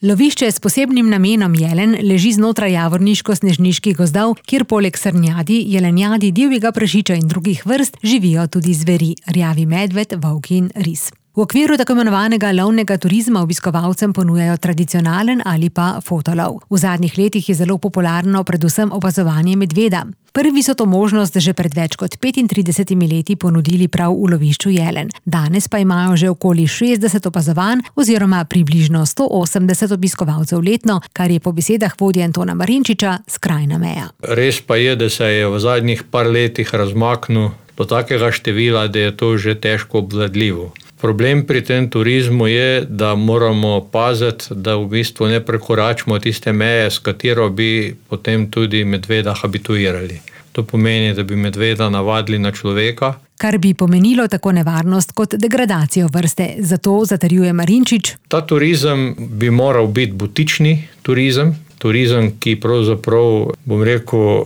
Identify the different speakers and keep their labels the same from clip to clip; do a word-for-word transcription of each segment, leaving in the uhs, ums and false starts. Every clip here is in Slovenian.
Speaker 1: Lovišče s posebnim namenom Jelen leži znotraj javorniško-snežniških gozdov, kjer poleg srnjadi, jelenjadi, divjega prašiča in drugih vrst živijo tudi zveri, rjavi medved, volki in ris. V okviru tako imenovanega lovnega turizma obiskovalcem ponujajo tradicionalen ali pa fotolov. V zadnjih letih je zelo popularno predvsem opazovanje medveda. Prvi so to možnost že pred več kot petintridesetimi leti ponudili prav v lovišču Jelen. Danes pa imajo že okoli šestdeset opazovanj oziroma približno sto osemdeset obiskovalcev letno, kar je po besedah vodje Antona Marinčiča skrajna meja.
Speaker 2: Res pa je, da se je v zadnjih par letih razmaknil do takega števila, da je to že težko obvladljivo. Problem pri tem turizmu je, da moramo paziti, da v bistvu ne prekoračimo tiste meje, s katero bi potem tudi medveda habituirali. To pomeni, da bi medveda navadili na človeka.
Speaker 1: Kar bi pomenilo tako nevarnost kot degradacijo vrste. Zato zatrjuje Marinčič.
Speaker 2: Ta turizem bi moral biti butični turizem. Turizem, ki pravzaprav, bom rekel,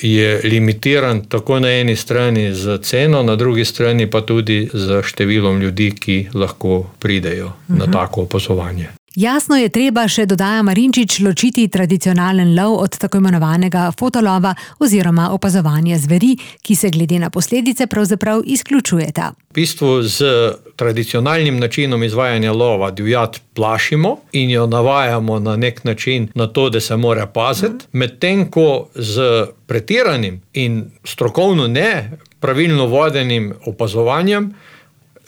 Speaker 2: je limitiran tako na eni strani z ceno, na drugi strani pa tudi z številom ljudi, ki lahko pridejo uh-huh. na tako opazovanje.
Speaker 1: Jasno je treba še, dodaja Marinčič, ločiti tradicionalen lov od tako imenovanega fotolova oziroma opazovanja zveri, ki se glede na posledice pravzaprav izključujeta.
Speaker 2: V bistvu z tradicionalnim načinom izvajanja lova divjad plašimo in jo navajamo na nek način na to, da se mora paziti, medtem ko z pretiranim in strokovno ne pravilno vodenim opazovanjem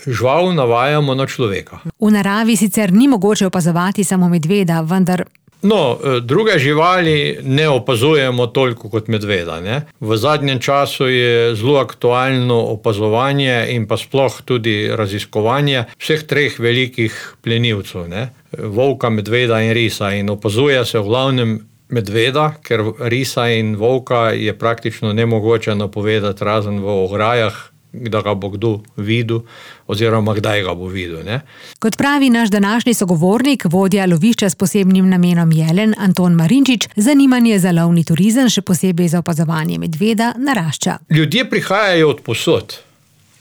Speaker 2: žival navajamo na človeka.
Speaker 1: V naravi sicer ni mogoče opazovati samo medveda, vendar...
Speaker 2: No, druge živali ne opazujemo toliko kot medveda. Ne? V zadnjem času je zelo aktualno opazovanje in pa sploh tudi raziskovanje vseh treh velikih plenilcev, ne? Volka, medveda in risa. In opazuje se v glavnem medveda, ker risa in volka je praktično nemogoče napovedati razen v ograjah, da ga bo kdo videl oziroma kdaj ga bo videl. Ne?
Speaker 1: Kot pravi naš današnji sogovornik, vodja lovišča s posebnim namenom Jelen, Anton Marinčič, zanimanje za lovni turizem, še posebej za opazovanje medveda, narašča.
Speaker 2: Ljudje prihajajo od posod.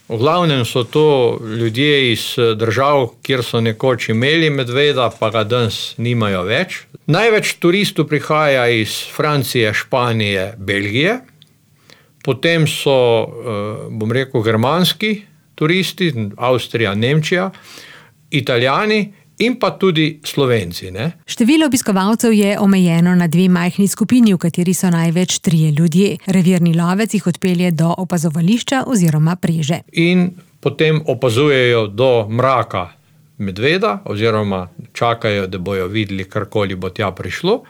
Speaker 2: V glavnem so to ljudje iz držav, kjer so nekoč imeli medveda, pa ga danes nimajo več. Največ turistov prihaja iz Francije, Španije, Belgije. Potem so, bom rekel, germanski turisti, Avstrija, Nemčija, Italijani in pa tudi Slovenci. Ne?
Speaker 1: Število obiskovalcev je omejeno na dve majhni skupini, v kateri so največ trije ljudje. Revirni lovec jih odpelje do opazovališča oziroma preže.
Speaker 2: In potem opazujejo do mraka medveda oziroma čakajo, da bojo videli, karkoli bo tja prišlo.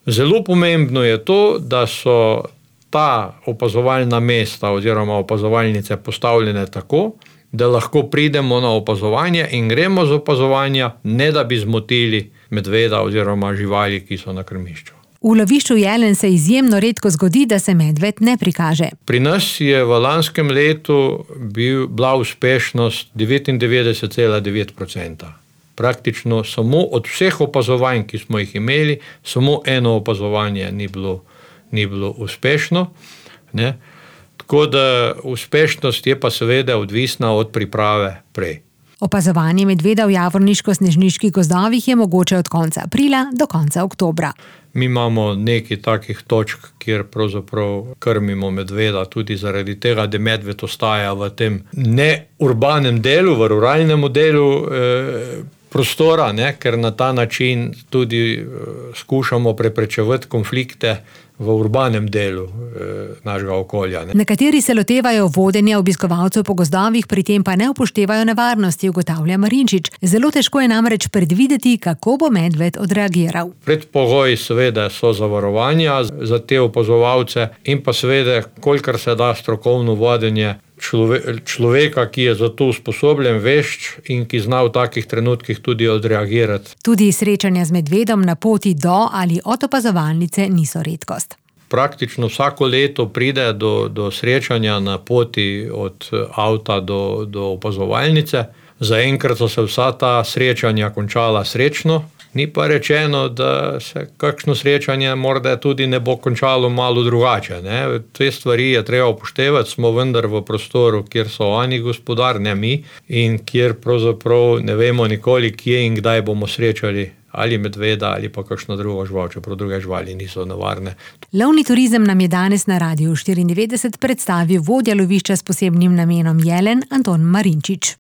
Speaker 2: Zelo pomembno je to, da so ta opazovalna mesta oziroma opazovalnice postavljene tako, da lahko pridemo na opazovanje in gremo z opazovanja, ne da bi zmotili medveda oziroma živali, ki so na krmišču.
Speaker 1: V lovišču Jelen se izjemno redko zgodi, da se medved ne prikaže.
Speaker 2: Pri nas je v lanskem letu bil, bila uspešnost devetindevetdeset cela devet procenta. Praktično samo od vseh opazovanj, ki smo jih imeli, samo eno opazovanje ni bilo ni bilo uspešno. Ne? Tako da uspešnost je pa seveda odvisna od priprave prej.
Speaker 1: Opazovanje medveda v javorniško-snežniških gozdovih je mogoče od konca aprila do konca oktobra.
Speaker 2: Mi imamo nekaj takih točk, kjer pravzaprav krmimo medveda tudi zaradi tega, da medved ostaja v tem neurbanem delu, v ruralnem delu eh, prostora, ne? Ker na ta način tudi eh, skušamo preprečevati konflikte v urbanem delu eh, našega okolja. Ne?
Speaker 1: Nekateri se lotevajo vodenja obiskovalcev po gozdovih, pri tem pa ne upoštevajo nevarnosti, ugotavlja Marinčič. Zelo težko je namreč predvideti, kako bo medved odreagiral.
Speaker 2: Predpogoj seveda so zavarovanja za te opazovalce in pa seveda, kolikor se da strokovno vodenje člove, človeka, ki je za to usposobljen, vešč in ki zna v takih trenutkih tudi odreagirati.
Speaker 1: Tudi srečanja z medvedom na poti do ali od opazovalnice niso redkost.
Speaker 2: Praktično vsako leto pride do, do srečanja na poti od avta do, do opazovalnice. Zaenkrat so se vsa ta srečanja končala srečno. Ni pa rečeno, da se kakšno srečanje morda tudi ne bo končalo malo drugače. Ne? Te stvari je treba upoštevati, smo vendar v prostoru, kjer so oni gospodar, ne mi, in kjer pravzaprav ne vemo nikoli, kje in kdaj bomo srečali ali medveda ali pa kakšno drugo žival, čeprav druge živali niso nevarne.
Speaker 1: Lovni turizem nam je danes na Radiu štiriindevetdeset predstavil vodja lovišča s posebnim namenom Jelen Anton Marinčič.